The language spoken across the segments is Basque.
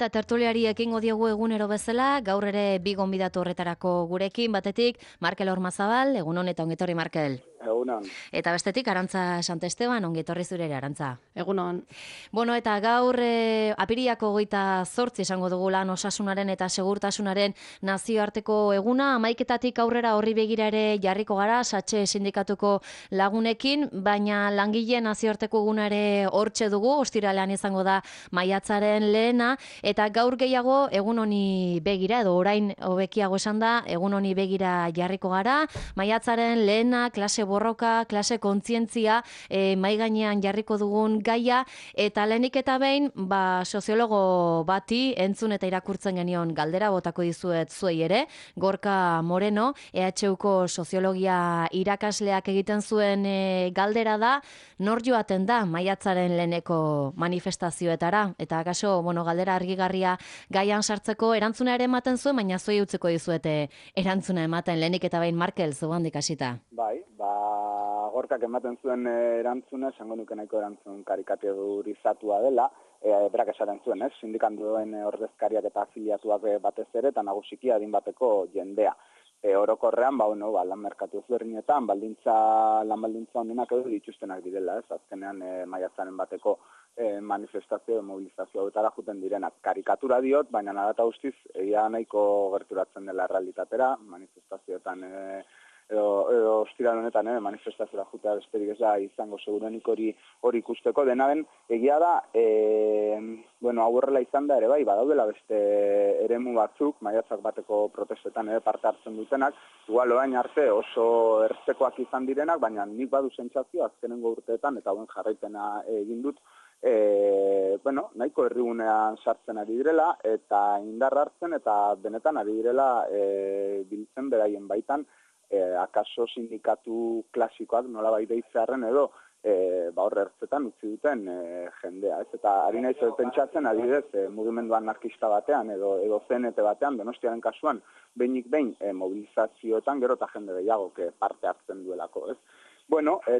Eta tertuliari ekingo diogu egunero bezala, gaur ere bi gonbidatu horretarako gurekin, batetik Markel Ormazabal, egun hon eta ongetorri Markel. Egunon. Eta bestetik Arantza Santesteban, ongetorri zure ere Arantza. Egunon. Bueno, eta gaur apiriako 28 esango dugu lan osasunaren eta segurtasunaren nazioarteko eguna, 11 aurrera horri begira ere jarriko gara, Satxe sindikatuko lagunekin, baina langileen nazioarteko eguna ere hortxe dugu, ostiralean izango da maiatzaren lehena, eta gaur gehiago egun honi begira, edo orain hobekiago esan da, egun honi begira jarriko gara, maiatzaren lehena, klase borroka, klase kontzientzia, mai gainean jarriko dugun gaia, eta lehenik eta behin, soziologo bati entzun eta irakurtzen genion galdera botako dizuet zuei ere, Gorka Moreno, EHUko soziologia irakasleak egiten zuen galdera da, nor joaten da maiatzaren leheneko manifestazioetara, eta akaso, galdera argigarria gaian sartzeko erantzuna ere ematen zuen, baina zuei utziko dizuete erantzuna ematen lehenik eta behin Markel, zugandik hasita. Bai, Gorkak ematen zuen erantzuna, esango nuke nahiko erantzun karikaturizatua dela, berak esaten zuen, sindikatuen ordezkariak eta afiliatuak batez ere, eta nagusiki adin bateko jendea. Orokorrean, lan merkatu ezberdinetan, lan baldintza honenak edo dituztenak direla, azkenean maiatzaren bateko manifestazio, mobilizazio hauetara juten direnak. Karikatura diot, baina nadata guztiz, egia nahiko gerturatzen dela realitatera, manifestazioetan edo ostiral honetan manifestazioa jutea besterik ez da izango segurenik hori ikusteko. Dena den, egia da, hau horrela izan da ere bai, badaudela beste eremu batzuk, maiatzak bateko protestetan parte hartzen dutenak, igual orain arte oso ertzekoak izan direnak, baina nik badu sentsazio azkenengo urteetan, eta hauen jarraipena egin dut, nahiko herrigunean sartzen ari direla, eta indarra hartzen, eta benetan ari direla biltzen beraien baitan, akaso sindikatu klasikoak nola bai deitzearen edo horre ertzetan utzi duten jendea. Eta ari naiz pentsatzen adibidez mugimendu anarkista batean edo CNT batean, Donostiaren kasuan, behinik behin mobilizazioetan gero eta jende gehiago parte hartzen duelako, ez?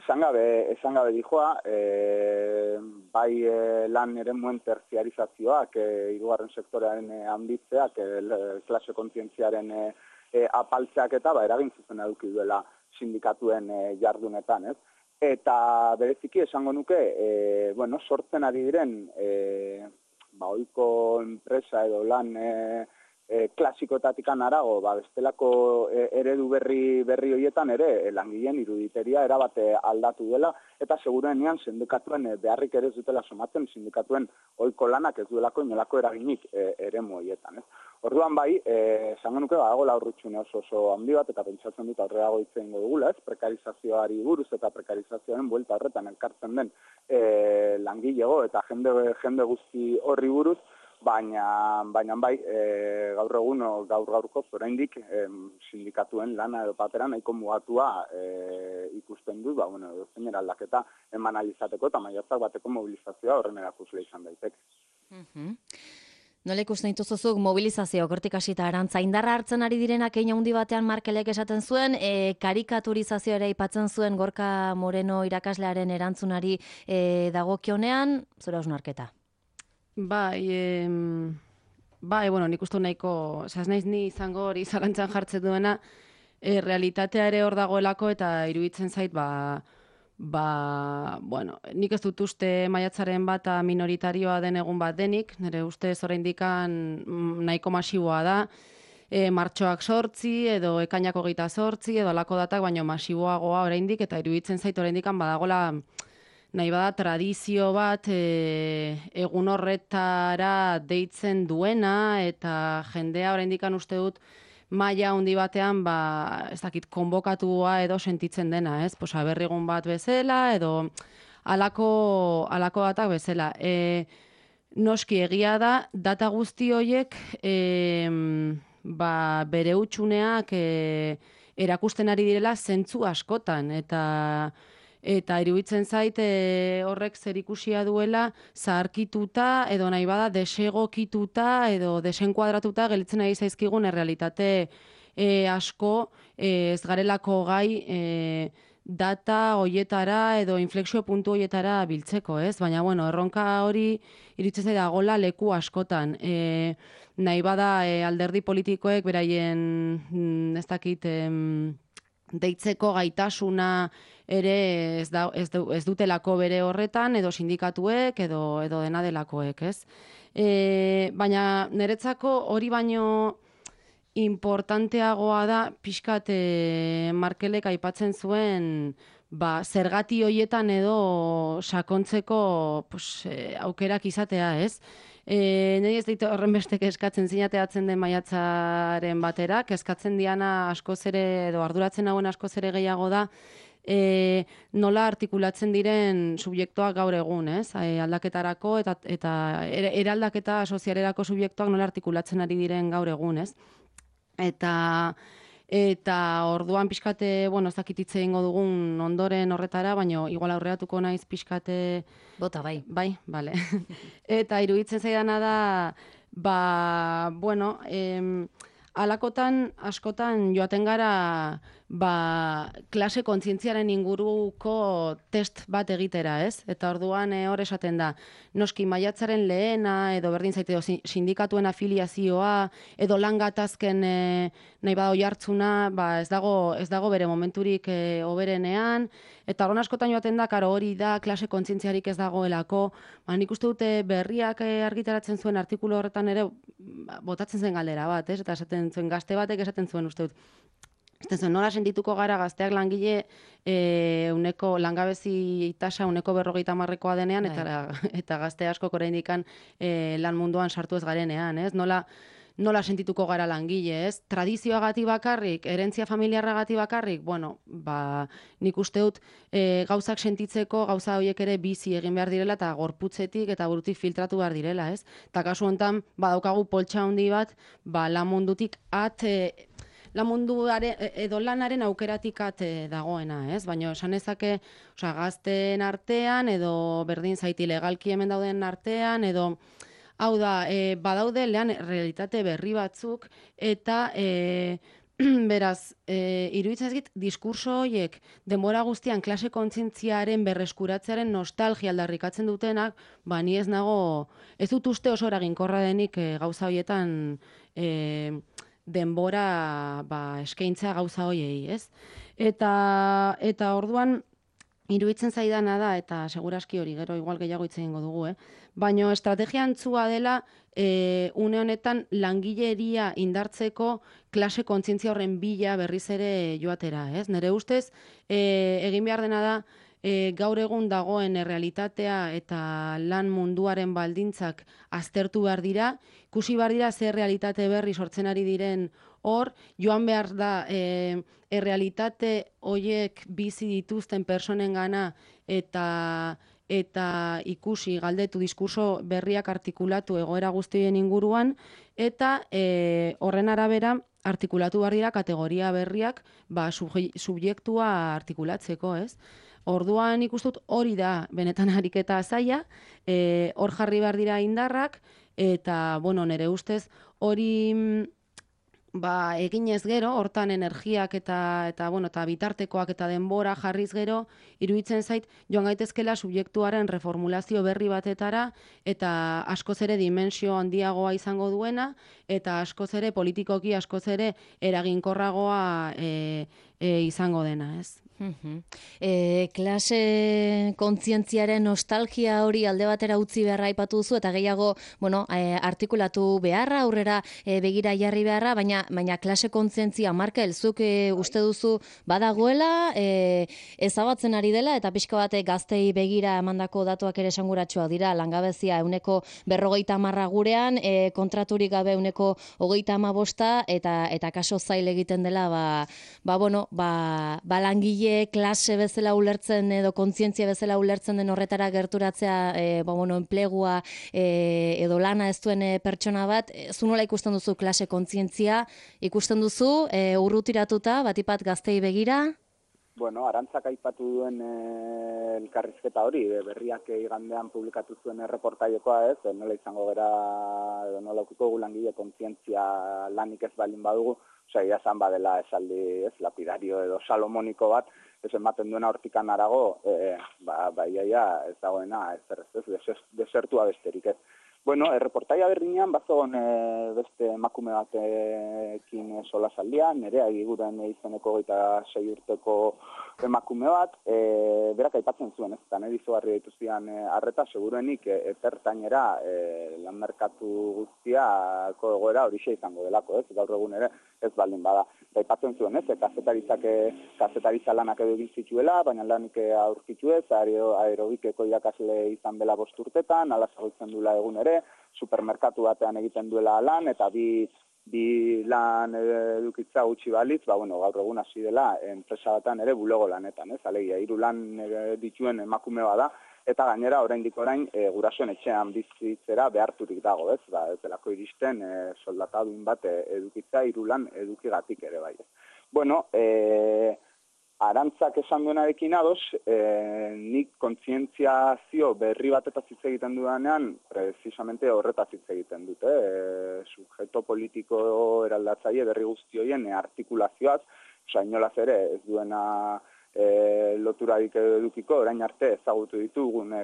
Esan gabe dijoa, bai lan eremuen terziarizazioak, hirugarren sektorearen handitzeak, klase kontzientziaren apaltzeak eta eragin zuzena eduki duela sindikatuen jardunetan, ez? Eta bereziki esango nuke, sortzen ari diren ohiko enpresa edo lan klasikoetatik harago, bestelako eredu berri horietan ere langileen iruditeria erabate aldatu dela, eta seguruenean sindikatuen beharrik ere ez dutela somatzen, sindikatuen ohiko lanak ez duelako inolako eraginik eremu horietan, ez? Orduan bai, esango nuke badagoela urrutsune oso handi bat, eta pentsatzen dut aurrerago hitz egingo dugula, ez? Prekarizazioari buruz eta prekarizazioaren buelta horretan elkartzen den langilego eta jende guzti horri buruz, baina bai, gaur egun, gaurko oraindik sindikatuen lana edo papera nahiko mugatua ikusten dut, zein aldaketa eman alizateko eta maiatzak bateko mobilizazioa horren erakusle izan daiteke. Nola ikusten dituzuzuk mobilizazio hortik hasita Arantza, indarra hartzen ari direnak hein handi batean Markelek esaten zuen, karikaturizazioa ere aipatzen zuen Gorka Moreno irakaslearen erantzunari dagokionean, zure hausnarketa? Bai, nik uste nahiko, ez naiz ni izango hori zalantzan jartzen duena, realitatea ere hor dagoelako eta iruditzen zait, nik ez dut uste maiatzaren bata minoritarioa den egun bat denik, nire ustez oraindikan nahiko masiboa da, martxoak 8 edo ekainak 28 edo alako datak, baino masiboagoa oraindik, eta iruditzen zait oraindikan badagola nahi bada tradizio bat egun horretara deitzen duena, eta jendea oraindikan uste dut maila handi batean, ez dakit, konbokatua edo sentitzen dena, ez? Aberrigun bat bezala, edo alako datak bezala. Noski egia da, data guzti horiek bere hutsuneak erakusten ari direla zentzu askotan, eta iruditzen zait horrek zerikusia duela zaharkituta edo nahi bada desegokituta edo desenkuadratuta gelditzen ari zaizkigun errealitate asko ez garelako gai data hoietara edo inflexio puntu hoietara biltzeko, ez? Baina, bueno, erronka hori iruditzen zait dagoela leku askotan. Nahi bada alderdi politikoek beraien, ez dakit, deitzeko gaitasuna ere ez dutelako bere horretan, edo sindikatuek, edo dena delakoek, ez? Baina niretzako hori baino importanteagoa da pixkat Markelek aipatzen zuen zergati hoietan edo sakontzeko aukerak izatea, ez? Niri ez dit horren bestek eskatzen zinateatzen den maiatzaren baterak, eskatzen diana askoz ere edo arduratzen hauen askoz ere gehiago da nola artikulatzen diren subjektuak gaur egun, ez? Aldaketarako eta eraldaketa sozialerako subjektuak nola artikulatzen ari diren gaur egun, ez? Eta orduan pixkate, bueno, ez dakit hitz egingo dugun ondoren horretara, baina igual aurreratuko naiz pixkate... Bota, bai. Bai, bale. Eta iruditzen zaidana da, bueno, alakotan, askotan joaten gara klase kontzientziaren inguruko test bat egitera, ez? Eta orduan hor esaten da, noski maiatzaren lehena, edo berdin zaite sindikatuen afiliazioa, edo lan gatazken nahi bada oihartzuna, ez dago bere momenturik hoberenean, eta orduan askotan joaten da, karo hori da, klase kontzientziarik ez dagoelako, nik uste dute berriak argitaratzen zuen artikulu horretan ere, botatzen zen galdera bat, ez? Eta esaten zuen gazte batek esaten zuen uste dut. Nola sentituko gara gazteak langile langabezi tasa 50%koa denean, eta gazte askok oraindik lan munduan sartu ez garenean, ez? Nola sentituko gara langile, ez? Tradizioagatik bakarrik, herentzia familiarragatik bakarrik, bueno, nik uste dut gauzak sentitzeko, gauza horiek ere bizi egin behar direla, eta gorputzetik eta burutik filtratu behar direla, ez? Eta kasu honetan, badaukagu poltsa handi bat, lan mundutik lan munduaren edo lanaren aukeratik dagoena, ez? Baina esan ezake, gazteen artean, edo berdin zaiti legalki hemen dauden artean, edo hau da, badaude lehan realitate berri batzuk, eta beraz, iruditzen ezkit, diskurso horiek denbora guztian klase kontzientziaren berreskuratzearen nostalgia aldarrikatzen dutenak, ni ez dut uste oso eraginkorra denik gauza horietan denbora eskaintza gauza hoiei, ez? Eta orduan iruditzen zaidana da, eta seguraski hori gero igual gehiago hitz egingo dugu, baina estrategia antzua dela une honetan langileria indartzeko klase kontzientzia horren bila berriz ere joatera, ez? Nere ustez, egin behar dena da, gaur egun dagoen realitatea eta lan munduaren baldintzak aztertu behar dira, ikusi behar dira zer realitate berri sortzen ari diren hor, joan behar da errealitate horiek bizi dituzten personen gana eta ikusi galdetu diskurso berriak artikulatu egoera guztien inguruan, eta horren arabera artikulatu behar dira kategoria berriak subjektua artikulatzeko, ez? Orduan ikustut hori da benetan ariketa zaila, hor jarri behar dira indarrak, eta, bueno, nire ustez hori eginez gero, hortan energiak eta bitartekoak eta denbora jarriz gero, iruditzen zait, joan gaitezkela subjektuaren reformulazio berri batetara, eta askoz ere dimensio handiagoa izango duena, eta askoz ere politikoki askoz ere eraginkorragoa izango dena, ez? Klase kontzientziaren nostalgia hori alde batera utzi beharra aipatu duzu, eta gehiago, artikulatu beharra, aurrera begira jarri beharra, baina klase kontzientzia, Markel, zuk uste duzu badagoela, ezabatzen ari dela, eta pixka bat gaztei begira emandako datuak ere esanguratsuak dira, langabezia 50% gurean, kontraturik gabe 35%, eta kaso zail egiten dela, langile klase bezala ulertzen edo kontzientzia bezala ulertzen den horretara gerturatzea enplegua edo lana ez duen pertsona bat, zu nola ikusten duzu klase kontzientzia, ikusten duzu urrutiratuta batipat gaztei begira? Bueno, Arantzak aipatu duen elkarrizketa hori, berriak igandean publikatu zuen erreportaiokoa, ez, nola izango gara, edo nola ukiko langile kontzientzia lanik ez balin badugu, egia esan badela esaldi, ez, lapidario edo salomoniko bat, ez ematen duena hortikan arago, iaia ez dagoena, desertua besterik ez. Bueno, erreportaia berdinean bazogon beste emakume batekin solasaldia, nerea egiguren izeneko 26 urteko emakume bat, berak aipatzen zuen, ez, eta nire izugarri dituztian arreta, seguruenik epertainera lan merkatu guztiako egoera horixe izango delako, ez, gaur egun ere ez baldin bada. Aipatzen zuen, ez, kazetaritza lanak edo egin zituela, baina lanik aurkitu ez, aerobikeko irakasle izan bela 5 urtetan, ala zagoitzen duela egun ere, supermerkatu batean egiten duela lan, eta bi lan edukitza gutxi balitz, gaur egun hasi dela enpresa batean ere bulego lanetan, ez, alegia, 3 lan dituen emakume bada, eta gainera oraindik orain gurasoen etxean bizitzera beharturik dago, ez, ez delako iristen soldata duin bat edukitza 3 lan edukigatik ere bai. Bueno, Arantzak esan duenarekin ados, nik kontzientziazio berri batetaz hitz egiten dudanean, precisamente horretaz hitz egiten dute, subjektu politiko eraldatzaile berri guzti horien artikulazioaz, inolaz ere ez duena loturarik edukiko, orain arte ezagutu ditugun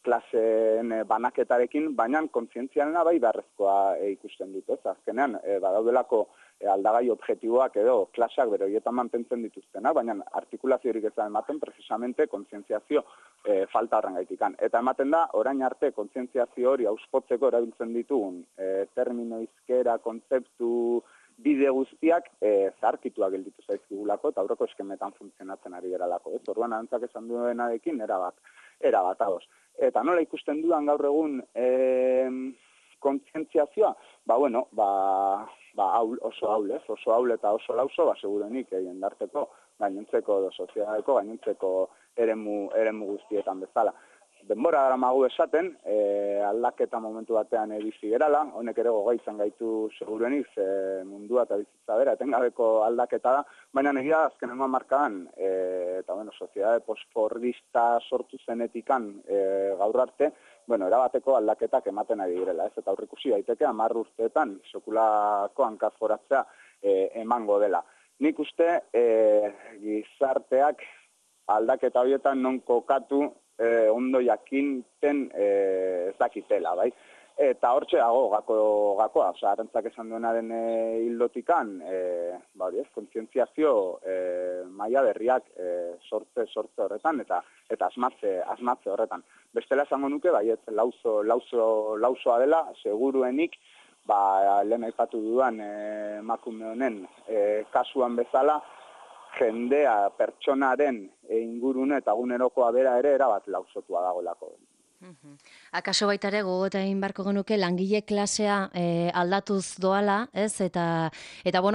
klaseen banaketarekin, baina kontzientzialena bai beharrezkoa ikusten dut, ez? Azkenean, badaudelako aldagai objektiboak edo klaseak bere horietan mantentzen dituztenak, baina artikulaziorik ez da ematen precisamente kontzientziazio falta horren gaitikan. Eta ematen da, orain arte kontzientziazio hori auspotzeko erabiltzen ditugun termino hizkera, kontzeptu, bide guztiak zaharkituak gelditu zaizkigulako eta aurreko eskemetan funtzionatzen ari geralako. Orduan Arantzak esan duenarekin erabat ados. Eta nola ikusten dudan gaur egun kontzientziazioa? Oso haul eta oso lauso, segurenik jendarteko, gainontzeko edo sozialeko, gainontzeko eremu guztietan bezala. Denbora daramagu esaten, aldaketa momentu batean bizi gerala, honek ere gogoa izan gaitu seguruenik, mundua eta bizitza bera, etengabeko aldaketa da, baina egia azkenengo hamarkadan, eta soziedade postfordista sortu zenetikan gaur arte, erabateko aldaketak ematen ari direla, ez, eta aurrikusi daiteke 10 urteetan sekulako hankaz-goratzea emango dela. Nik uste gizarteak aldaketa horietan non kokatu ondo jakinten ez dakitela, bai? Eta hortxe dago gakoa, Arantzak esan duenaren hildotikan, kontzientziazio maila berriak sortze horretan eta asmatze horretan. Bestela esango nuke, lausoa dela, seguruenik, lehen aipatu dudan emakume honen kasuan bezala, jendea, pertsonaren ingurune eta egunerokoa bera ere erabat lausotua dagoelako. Akaso baita ere gogoeta egin beharko genuke langile klasea aldatuz doala, ez? Eta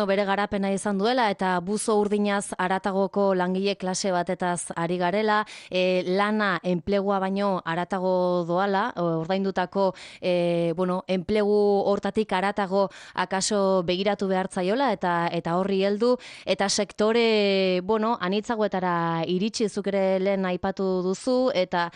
bere garapena izan duela eta buzo urdinaz haratagoko langile klase batetaz ari garela, lana enplegua baino haratago doala, ordaindutako enplegu hortatik haratago akaso begiratu behartzaiola eta horri heldu eta sektore anitzagoetara iritsi, zuk ere lehen aipatu duzu eta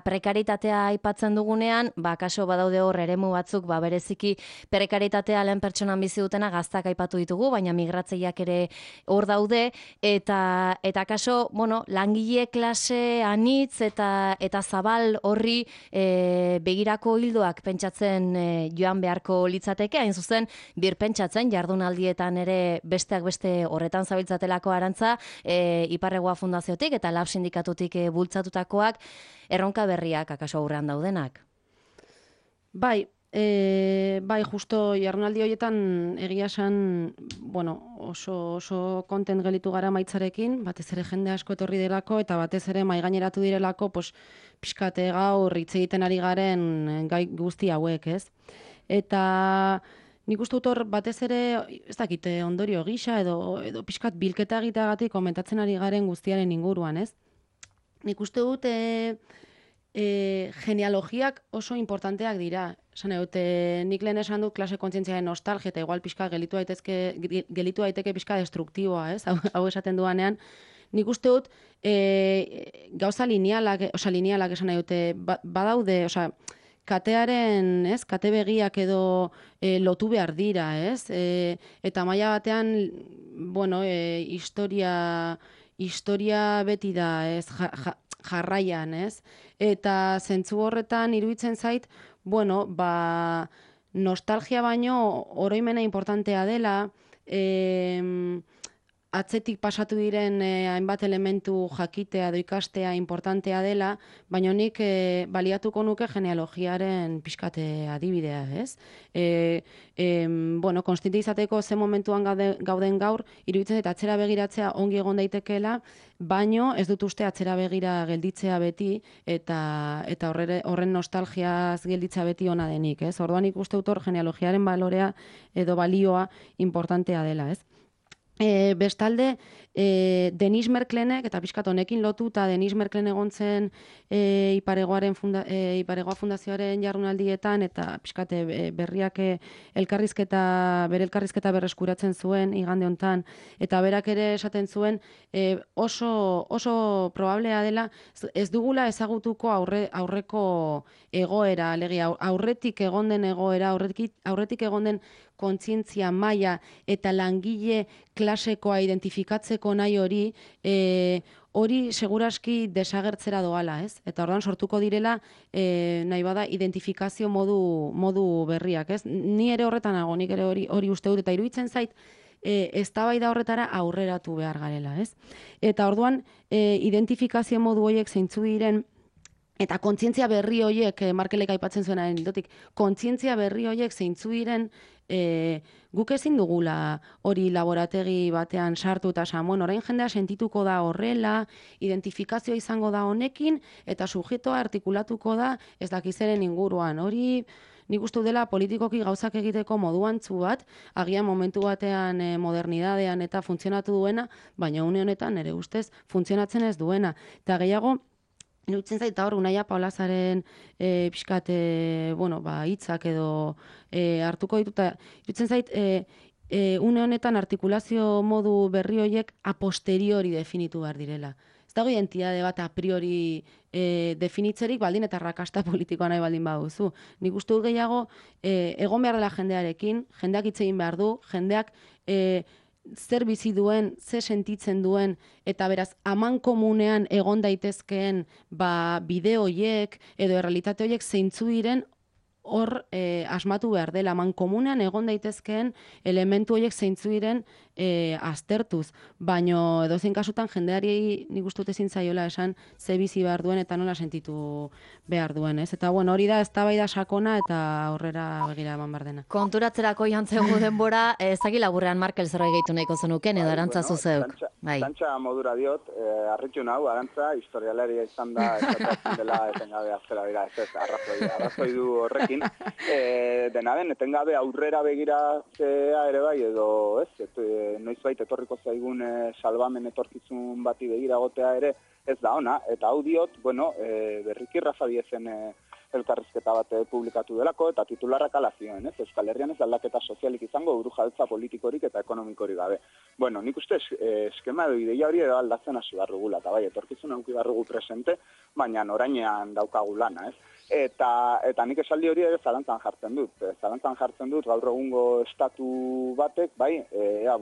prekaritatea aipatzen dugunean, kaso badaude hor eremu batzuk, bereziki prekaritatea lehen pertsonan bizi dutena gaztak aipatu ditugu, baina migratzaileak ere hor daude, eta kaso, langile klase anitz eta zabal horri begirako hildoak pentsatzen joan beharko litzateke, hain zuzen, birpentsatzen jardunaldietan ere besteak beste horretan zabiltzatelako Arantza, Iparregoa Fundaziotik eta Lab Sindikatutik bultzatutakoak, erronka berriak akaso aurrean daudenak. Bai, justo jardunaldi horietan egia esan, oso kontent gelitu gara maitzarekin, batez ere jende asko etorri delako eta batez ere maigaineratu direlako, pixkate gaur hitz egiten ari garen gai guzti hauek, ez? Eta nik uste dut hor batez ere, ez dakite, ondorio gisa edo pixkat bilketa egiteagatik komentatzen ari garen guztiaren inguruan, ez? Nik uste dut genealogiak oso importanteak dira. Nik lehen esan dut klase kontzientziaren nostalgia eta igual pixka gelitu daiteke pixka destruktiboa, ez? Hau esaten duanean. Nik uste dut gauza linealak esan nahi dute, badaude, katearen, ez, kate begiak edo lotu behar dira, ez? Eta maila batean, historia beti da, ez, jarraian, ez? Eta zentzu horretan iruditzen zait, bueno, nostalgia baino oroimena importantea dela, atzetik pasatu diren hainbat elementu jakitea edo ikastea importantea dela, baina nik baliatuko nuke genealogiaren pixkate adibidea, ez? Bueno, konstiente izateko ze momentuan gauden gaur, iruditzen zait atzera begiratzea ongi egon daitekeela, baino ez dut uste atzera begira gelditzea beti eta horren nostalgiaz gelditzea beti ona denik, ez? Orduan nik uste dut hor genealogiaren balorea edo balioa importantea dela, ez? Bestalde, Denis Merklenek, eta pixkat honekin lotuta Denis Merklen egon zen Iparegoa Fundazioaren jardunaldietan, eta pixkat berriak bere elkarrizketa berreskuratzen zuen igande hontan, eta berak ere esaten zuen oso probablea dela ez dugula ezagutuko aurreko egoera, alegia aurretik egon den egoera, aurretik egon den kontzientzia maila eta langile klasekoa identifikatzeko nahi hori seguraski desagertzera doala, ez? Eta orduan sortuko direla nahi bada identifikazio modu berriak, ez? Ni ere horretan nago, nik ere hori uste dut, eta iruditzen zait eztabaida horretara aurreratu behar garela, ez? Eta orduan identifikazio modu horiek zeintzu diren, eta kontzientzia berri horiek, Markelek aipatzen zuenaren ildotik, kontzientzia berri horiek zeintzu diren, guk ezin dugula hori laborategi batean sartu eta esan, orain jendea sentituko da horrela, identifikazioa izango da honekin, eta subjektua artikulatuko da ez dakizeren inguruan. Hori nik uste dela politikoki gauzak egiteko moduantzu bat, agian momentu batean modernidadean eta funtzionatu duena, baina une honetan ere ustez funtzionatzen ez duena. Eta gehiago, iruditzen zait, hor, Unaia Paulazaren pixkat, hitzak edo hartuko dituta, iruditzen zait, une honetan artikulazio modu berri horiek a posteriori definitu behar direla. Ez dago identitate bat a priori definitzerik baldin eta rakasta politikoa nahi baldin baduzu. Nik uste dut gehiago, egon behar dela jendearekin, jendeak hitz egin behar du, jendeak zer bizi duen, ze sentitzen duen, eta beraz, amankomunean egon daitezkeen bide horiek edo errealitate horiek zeintzu diren hor asmatu behar dela. Amankomunean egon daitezkeen elementu horiek zeintzu diren aztertuz. Baino edozein kasutan jendeari nik uste dut ezin zaiola esan ze bizi behar duen eta nola sentitu behar duen, ez? Eta bueno, hori da eztabaida sakona eta aurrera begira eman behar dena. Konturatzerako jantzegu denbora, ezagi laburrean Markel zerbait gehitu nahiko zenuken edo Arantza zuzeuk. Tantxa modura diot, harritu nahu, Arantza, historialaria izan da, esatzen dela etengabe aztera bera, ez arrazoi du horrekin. Dena den, etengabe aurrera begiratzea ere bai, edo ez, noizbait etorriko zaigun salbamen etorkizun bati begira gotea ere ez da ona, eta hau diot, berriki Rafa Diezen elkarrizketa bat publikatu delako, eta titularrak ala zioen, ez? Euskal Herrian ez aldaketa sozialik izango burujabetza politikorik eta ekonomikorik gabe. Nik uste eskema edo ideia hori edo aldatzen hasi barrugula, eta bai, etorkizun auki barrugu presente, baina orainean daukagu lana, ez? Eta nik esaldi hori ere zalantzan jartzen dut. Zalantzan jartzen dut gaur egungo estatu batek, bai,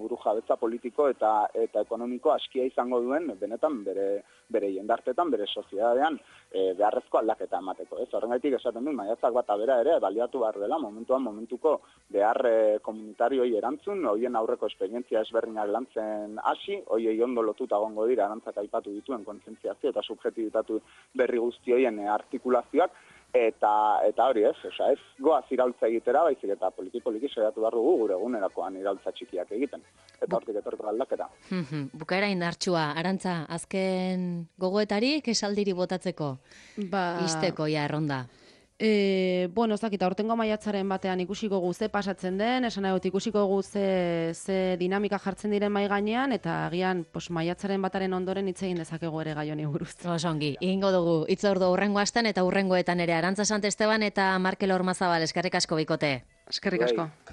burujabetza politiko eta ekonomiko askia izango duen, benetan bere jendartetan, bere soziedadean beharrezko aldaketa emateko. Horrengatik esaten dut, maiatzak bata bera ere baliatu behar dela, momentuko behar komunitarioi erantzun, hoien aurreko esperientzia ezberdinak lantzen hasi, hoiei ondo lotuta egongo dira Arantzak aipatu dituen kontzientziazio eta subjetibitatu berri guzti hoien artikulazioak, eta hori ez goaz iraultza egitera, baizik eta poliki saiatu behar dugu gure egunerakoan iraultza txikiak egiten. Eta hortik etorriko aldaketa. Bukaera indartsua, Arantza, azken gogoetarik esaldiri botatzeko? Isteko ja erronda. Ez dakit, aurtengo maiatzaren batean ikusiko gu ze pasatzen den, esan egot ikusiko gu ze dinamika jartzen diren mai gainean, eta agian maiatzaren bataren ondoren hitz egin dezakegu ere gai honi buruz. Osongi, egingo dugu hitzordu hurrengo astean eta hurrengoetan ere Arantza Santesteban eta Markel Ormazabal, eskerrik asko bikote. Eskerrik asko.